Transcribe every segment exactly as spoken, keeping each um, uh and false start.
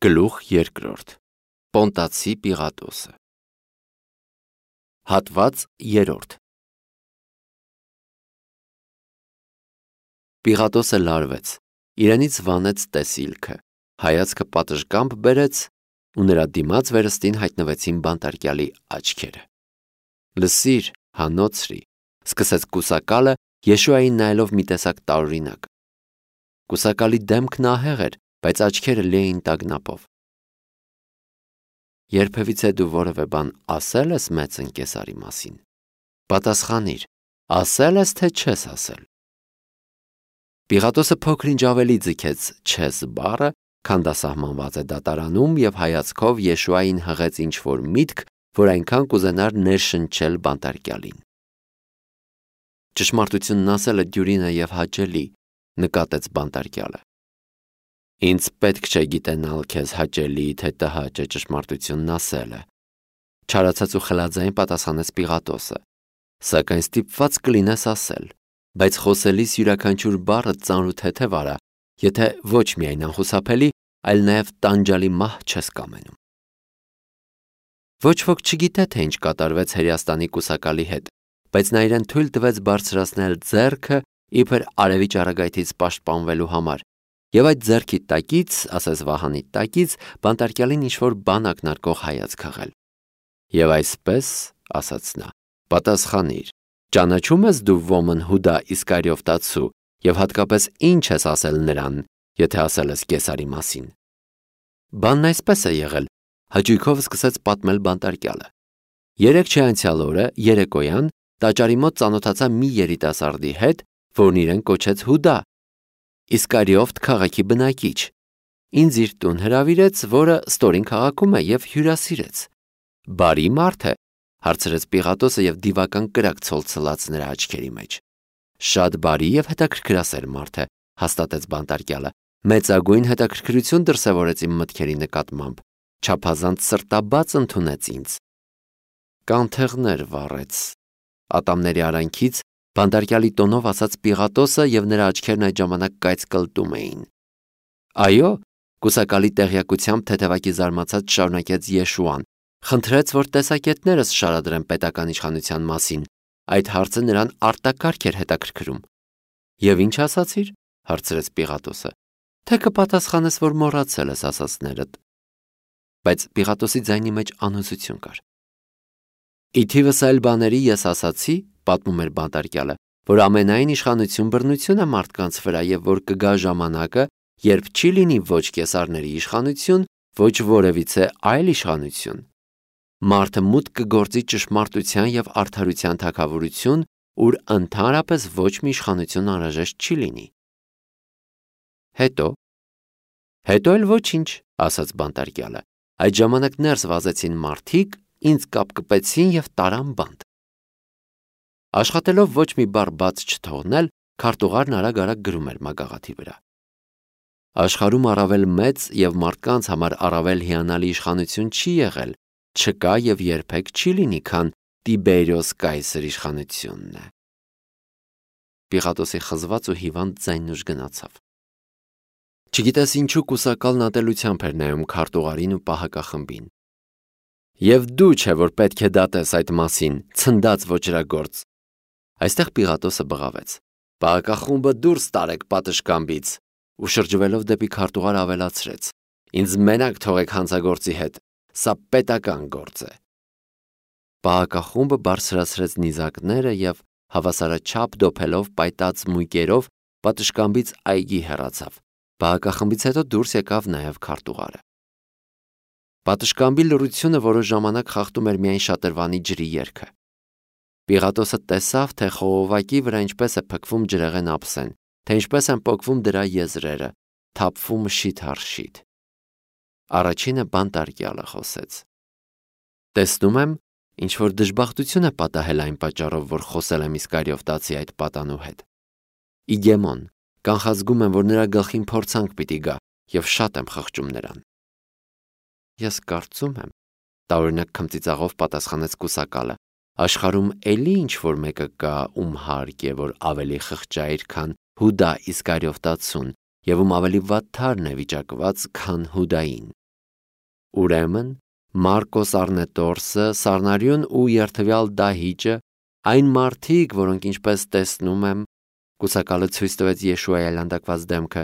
Գլուխ երկրորդ. Պոնտացի Պիղատոսը։ Հատված երրորդ. Պիղատոսը լարվեց, իրենից վանեց տեսիլքը, հայացքը պատշգամբ բերեց ու նրա դիմաց վերստին հայտնվեցին բանտարկյալի աչքերը։ Լսիր, հանոցրի, սկսեց կուսակալը, Եշուային նայելով մի տեսակ տարօրինակ։ Կուսակալի դեմքն ահեղ էր, բայց աչքերը լի էին տագնապով։ Երբևիցե դու որևէ բան ասել ես մեծ ընկեսարի մասին։ Պատասխանիր, ասել ես թե չես ասել։ Պիղատոսը փոքր-ինչ ավելի ձգեց չես բառը, քան դա սահմանված է դատարանում, եւ հայացքով Եշուային հղեց ինչ-որ միտք, որ այնքան կուզենար ներշնչել բանտարկյալին։ Ճշմարտությունն ասելը դյուրին է եւ հաճելի, նկատեց բանտարկյալը։ Ինձ պետք չէ գիտենալ քեզ հաճելի թե տհաճ է ճշմարտությունն ասելը, չարացած ու խլաձայն պատասխանեց Պիղատոսը, սակայն ստիպված կլինես ասել, բայց խոսելիս յուրաքանչյուր բառը ծանր ու թեթև արա, եթե ոչ միայն անխուսափելի, այլ նաև տանջալի մահ չես կամենում։ Ոչ ոք չգիտե, թե ինչ կատարվեց Հերյաստանի կուսակալի հետ, բայց նա իրեն թույլ տվեց բարձրացնել ձեռքը իբր արևի ճառագայթից պաշտպանվելու համար, եւ այդ ձեռքի տակից, ասես վահանի տակից, բանտարկյալին ինչ-որ բան ակնարկող հայացք հղել։ Եվ այսպես, ասաց նա, պատասխանիր, ճանաչում ես դու ոմն Հուդա Իսկարիովտացու եւ հատկապես ինչ ես ասել նրան, եթե ասել ես Կեսարի մասին։ Բանն այսպես է եղել, հաճույքով սկսեց պատմել բանտարկյալը։ Երեք չէ անցյալ օրը, երեկոյան, տաճարի մոտ ծանոթացա մի երիտասարդի հետ, որն իրեն կոչեց Հուդա, Իսկարիովտ քաղաքի բնակիչ։ Ինձ իր տուն հրավիրեց, որը ստորին քաղաքում է, եւ հյուրասիրեց։ Բարի մարդ է, հարցրեց Պիղատոսը եւ դիվական կրակ ցոլցլաց նրա աչքերի մեջ։ Շատ բարի եւ հետաքրքրասեր մարդ է, հաստատեց բանտարկյալը։ Մեծագույն հետաքրքրություն դրսևորեց իմ մտքերի նկատմամբ, չափազանց սրտաբաց ընդունեց ինձ։ Կանթեղներ վառեց։ Ատամների արանքից բանտարկյալի տոնով ասաց Պիղատոսը եւ նրա աչքերն այդ ժամանակ կայծ կլտում էին։ Այո, կուսակալի տեղյակությամբ թեթևակի զարմացած շարունակեց Եշուան, խնդրեց, որ տեսակետներս շարադրեմ պետական իշխանության մասին։ Այդ հարցը նրան արտակարգ էր հետաքրքրում։ Եվ ինչ ասացիր, հարցրեց Պիղատոսը։ Թե կպատասխանես, որ մոռացել ես ասածներդ։ Բայց Պիղատոսի ձայնի մեջ անհուսություն կար։ Ի թիվս այլ բաների ես ասացի, պատմում էր բանտարկյալը, որ ամենայն իշխանություն բռնություն է մարդկանց վրա եւ որ կգա ժամանակը, երբ չի լինի ոչ կեսարների իշխանություն, ոչ որևիցե այլ իշխանություն։ Մարդը մուտք կգործի ճշմարտության եւ արդարության թագավորություն, ուր ընդհանրապես ոչ մի իշխանություն անհրաժեշտ չի լինի։ Հետո Հետո էլ ոչինչ, ասաց բանտարկյալը։ Այդ ժամանակ ներս վազեցին մարդիկ, ինձ կապկպեցին եւ տարան բանտ։ Աշխատելով ոչ մի բառ բաց չթողնել, քարտուղարն արագ-արագ գրում էր մագաղաթի վրա։ Աշխարհում առավել մեծ եւ մարդկանց համար առավել հիանալի իշխանություն չի եղել, չկա եւ երբեք չի լինի, քան Տիբերիոս կայսր իշխանությունն է։ Պիղատոսի խզված ու հիվանդ ձայնն ուժ գնացավ։ Չգիտես ինչու կուսակալն ատելությամբ էր նայում քարտուղարին ու պահակախմբին։ Եվ դու չէ, որ պետք է դատես այդ մասին, ցնդած ոճրագործ։ Այստեղ Պիղատոսը բղավեց. Պահակախումբը դուրս տարեք պատշգամբից, ու շրջվելով դեպի քարտուղար ավելացրեց. Ինձ մենակ թողեք հանցագործի հետ, սա պետական գործ է։ Պահակախումբը բարձրացրեց նիզակները եւ հավասարաչափ դոփելով պայտած մույկերով պատշգամբից այգի հեռացավ։ Պահակախմբից հետո դուրս եկավ նաեւ քարտուղարը։ Պատշգամբի լռությունը որոշ ժամանակ խախտում էր միայն շատրվանի ջրի երգը։ Պիղատոսը տեսավ, թե խողովակի վրա ինչպես է փքվում ջրեղեն ափսեն, թե ինչպես են պոկվում դրա եզրերը, թափվում շիթ առ շիթ։ Առաջինը բանտարկյալը խոսեց. Տեսնում եմ, ինչ որ դժբախտություն է պատահել այն պատճառով, որ խոսել եմ Իսկարիովտացի այդ պատանու հետ։ Իգեմոն, կանխազգում եմ, որ նրա գլխին փորձանք պիտի գա, եւ շատ եմ խղճում նրան։ Ես կարծում եմ, տարօրինակ քմծիծաղով պատասխանեց կուսակալը, աշխարհում էլի ինչ որ մեկը կա, ում հարկ է, որ ավելի խղճայր, քան Հուդա Իսկարիովտացուն, եւ ում ավելի վատթարն է վիճակված, քան Հուդային։ Ուրեմն Մարկոս Առնետորսը, Սառնարյուն ու երթվյալ Դահիճը, այն մարդիկ, որոնք ինչպես տեսնում եմ, կուսակալը ցույց տվեց Եշուայի այլանդակված դեմքը,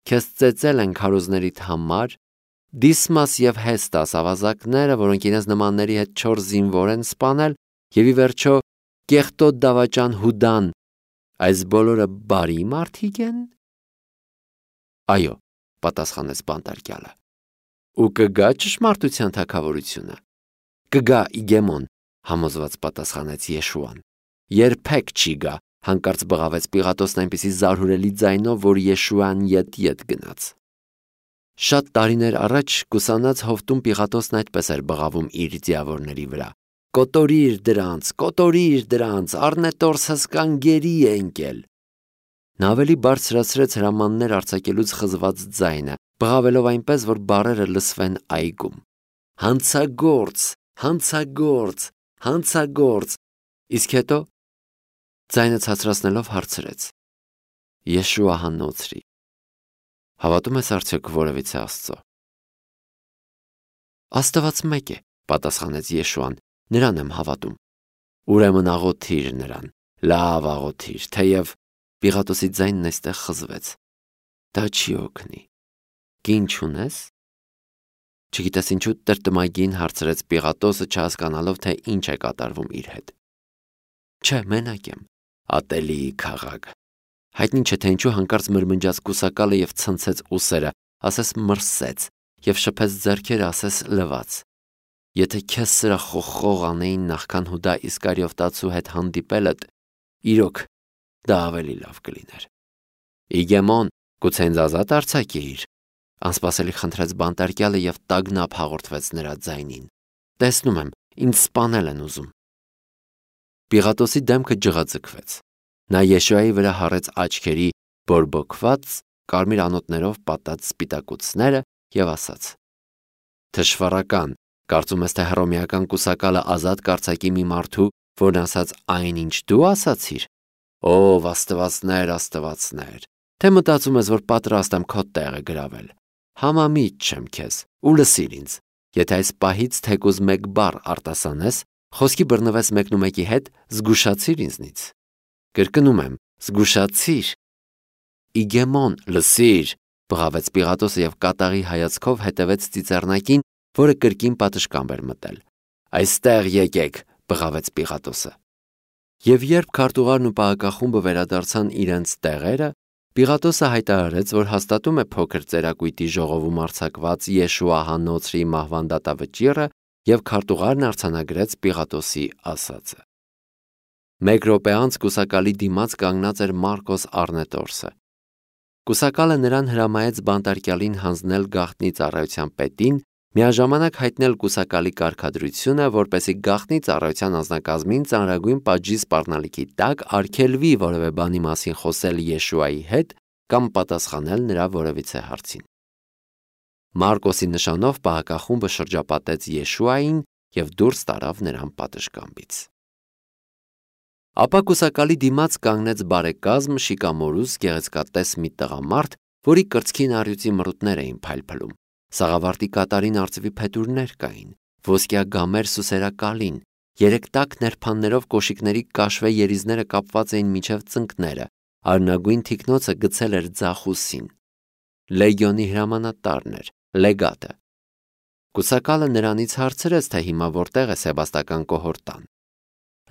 քեզ ծեծել են քարոզներիդ համար, Դիսմաս եւ Հեստաս ավազակները, որոնք իրենց նմանների հետ չոր զինվոր են սպանել, եւ ի վերջո կեղտոտ դավաճան Հուդան, այս բոլորը բարի մարդիկ են։ Այո, պատասխանեց բանտարկյալը։ Ու կգա ճշմարտության թագավորությունը։ Կգա Իգեմոն, համոզված պատասխանեց Եշուան։ Երբեք չի գա, հանկարծ բղավեց Պիղատոսն այնպիսի զարհուրելի ձայնով, որ Եշուան ետ-ետ գնաց։ Շատ տարիներ առաջ կուսանած հովտում Պիղատոսն այդպես էր բղավում իր ձիավորների վրա. Կոտորիր դրանց, կոտորիր դրանց, Առնետորս հսկան գերի է ընկել։ Նա ավելի բարձրացրեց հրամաններ արձակելուց խզված ձայնը, բղավելով այնպես, որ բառերը լսվեն այգում։ Հանցագործ, հանցագործ, հանցագործ։ Իսկ հետո ձայնը ցածրացնելով հարցրեց. Եշուա հանոցրի, հավատում ես արդյոք որևիցե Աստծո։ Աստված մեկ է, պատասխանեց Եշուան, նրան եմ հավատում։ Ուրեմն աղոթիր նրան, լավ աղոթիր, թեև Պիղատոսի ձայնն այստեղ խզվեց։ Դա չի օգնի։ Կին չունես։ Չգիտես ինչու տրտմագին հարցրեց Պիղատոսը, չհասկանալով, թե ինչ է կատարվում իր հետ։ Չէ, մենակ եմ, ատելի քաղաք։ Հայտնի չէ, թե ինչու հանկարծ մրմնջաց կուսակալը եւ ցնցեց ուսերը, ասես մրսեց, եւ շփեց ձեռքերը, ասես լվաց։ Եթե քեզ սրա խոխող անեին նախքան Հուդա Իսկարիովտացու հետ հանդիպելդ, իրոք դա ավելի լավ կլիներ։ Իգեմոն, գուցե ինձ ազատ արձակեիր, անսպասելի խնդրեց բանտարկյալը եւ տագնապ հաղորդվեց նրա ձայնին։ Տեսնում եմ, ինձ սպանել են ուզում։ Պիղատոսի դեմքը ջղաձգվեց։ Նա Եշուայի վրա հառեց աչքերի բորբոքված կարմիր անոթներով պատած սպիտակուցները եւ ասաց. Թշվառական, կարծում ես թե հռոմեական կուսակալը ազատ կարձակի մի մարդու, որն ասաց այն ինչ դու ասացիր։ Ով աստվածներ, աստվածներ, թե մտածում ես, որ պատրաստ եմ քո տեղը գրավել։ Համամիտ չեմ քեզ, ու լսիր ինձ։ Եթե այս պահից թեկուզ մեկ բառ արտասանես, խոսքի բռնվես մեկնումեկի հետ, զգուշացիր ինձնից։ Կրկնում եմ, զգուշացիր։ Իգեմոն, լսիր, բղավեց Պիղատոսը եւ կատաղի հայացքով հետևեց ծիծեռնակին, որը կրկին պատշգամբ էր մտել։ Այստեղ եկեք, բղավեց Պիղատոսը։ Եվ երբ քարտուղարն ու պահակախումբը վերադարձան իրենց տեղերը, Պիղատոսը հայտարարեց, որ հաստատում է փոքր ծերակույտի ժողովում արձակված Եշուա հանոցրի մահվան դատավճիռը եւ քարտուղարն արձանագրեց Պիղատոսի ասածը։ Մեկ րոպե անց կուսակալի դիմաց կանգնած էր Մարկոս Առնետորսը։ Կուսակալը նրան հրամայեց բանտարկյալին հանձնել գաղտնի ծառայության պետին, միաժամանակ հայտնել կուսակալի կարգադրությունը, որպեսզի գաղտնի ծառայության անձնակազմին ծանրագույն պատժի սպառնալիքի տակ արգելվի որևէ բանի մասին խոսել Եշուայի հետ կամ պատասխանել նրա որևիցե հարցին։ Մարկոսի նշանով պահակախումբը շրջապատեց Եշուային եւ դուրս տարավ նրան պատշգամբից։ Ապա կուսակալի դիմաց կանգնեց բարեկազմ շիկամորուս գեղեցկատես մի տղամարդ, որի կրծքին առյուծի մռութներ էին փայլփլում։ Սաղավարտի կատարին արծվի փետուրներ կային, ոսկյա գամեր սուսերակալին, երեք տաք ներփաններով կոշիկների կաշվե երիզները կապված էին մինչև ծնկները, արնագույն թիկնոցը գցել էր ձախուսին։ Լեգիոնի հրամանատարն էր, լեգատը։ Կուսակալը նրանից հարցրեց, թե հիմա որտեղ է սեբաստական կոհորտան։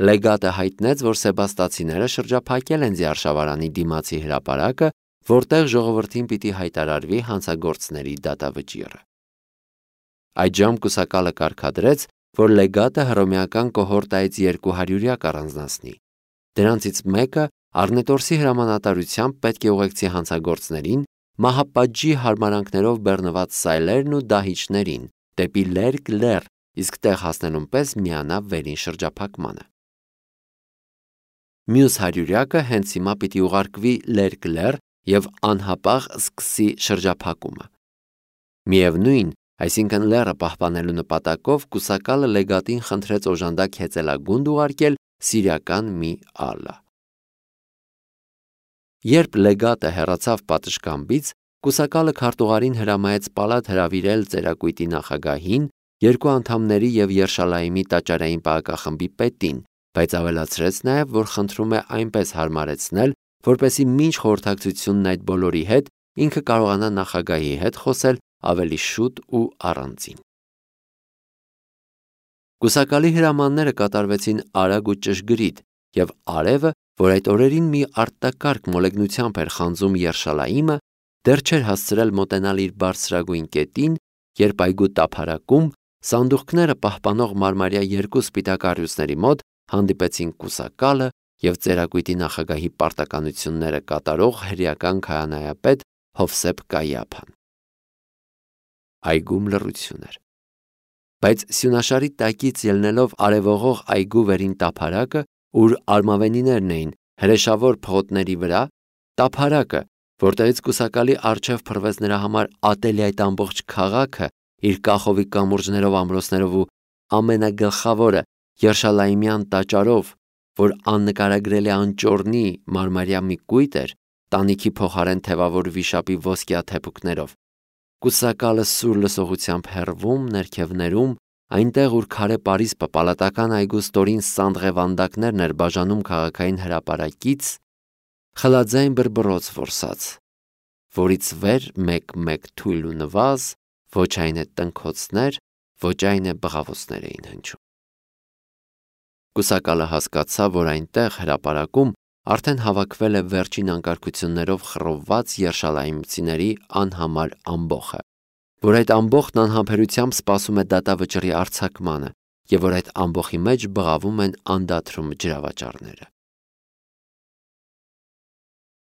Լեգատը հայտնեց, որ սեբաստացիները շրջափակել են Ձիարշավարանի դիմացի հրապարակը, որտեղ ժողովրդին պիտի հայտարարվի հանցագործների դատավճիռը։ Այդժամ կուսակալը կարգադրեց, որ լեգատը հռոմեական կոհորտայից երկու հարյուրյա կառանձնացնի։ Դրանցից մեկը Առնետորսի հրամանատարությամբ պետք է ուղեկցի հանցագործներին, մահապատժի հարմարանքներով բեռնված սայլերն ու դահիճներին, դեպի Լերկ լեռ, իսկ տեղ հասնելուն պես միանա վերին շրջափակմանը։ Մյուս հարյուրյակը հենց հիմա պիտի ուղարկվի Լերկ լեռ եւ անհապաղ սկսի շրջափակումը։ Միևնույն, այսինքն լեռը պահպանելու նպատակով կուսակալը լեգատին խնդրեց օժանդակ հեծելագունդ ուղարկել սիրիական մի ալլա։ Երբ լեգատը հեռացավ պատշգամբից, Կուսակալը քարտուղարին հրամայեց պալատ հրավիրել ծերակույտի նախագահին, երկու անդամների և Երշալայիմի տաճարային պահակախմբի պետին, բայց ավելացրեց նաև, որ խնդրում է այնպես հարմարեցնել, որպեսզի մինչ խորհրդակցությունն այդ բոլորի հետ ինքը կարողանա նախագահի հետ խոսել ավելի շուտ ու առանձին։ Կուսակալի հրամանները կատարվեցին արագ ու ճշգրիտ, և արևը, որ այդ օրերին մի արտակարգ մոլեգնությամբ էր խանձում Երշալայիմը, դեռ չէր հասցրել մոտենալ իր բարձրագույն կետին, երբ այգու տափարակում սանդուղքները պահպանող մարմարյա երկու սպիտակ առյուծների մոտ հանդիպեցին կուսակալը և ծերակույտի նախագահի պարտականությունները կատարող հրեական քահանայապետ Հովսեփ Կայիափան։ Այգում լռություն էր, բայց սյունաշարի տակից ելնելով արևողող այգու վերին տափարակը, ուր արմավենիներն էին հրեշավոր փողոտների վրա, տափարակը, որտեղից կուսակալի առջև փռվեց նրա համար ատելի այդ ամբողջ քաղաքը իր կախովի կամուրջներով, ամրոցներով ու ամենագլխավորը Երշալայիմյան տաճարով, որ աննկարագրելի անճոռնի մարմարյա մի կույտ էր, տանիքի փոխարեն թևավոր վիշապի ոսկյա թեփուկներով։ Կուսակալը սուր լսողությամբ հեռվում, ներքևներում, այնտեղ, ուր քարե պարիսպը պալատական այգու ստորին սանդղե-վանդակներն էր բաժանում քաղաքային հրապարակից, խլաձայն բռբռոց որսաց, որից վեր մեկ-մեկ թույլ ու նվազ, ոչ այն է տնքոցներ, ոչ այն է բղավոցներ էին հնչում։ Կուսակալը հասկացավ, որ այնտեղ հրապարակում արդեն հավաքվել է վերջին անկարգություններով խռովված երշալայիմցիների անհամար ամբոխը, որ այդ ամբոխն անհամբերությամբ սպասում է դատավճռի արձակմանը և որ այդ ամբոխի մեջ բղավում են անդադրում ջրավաճառները։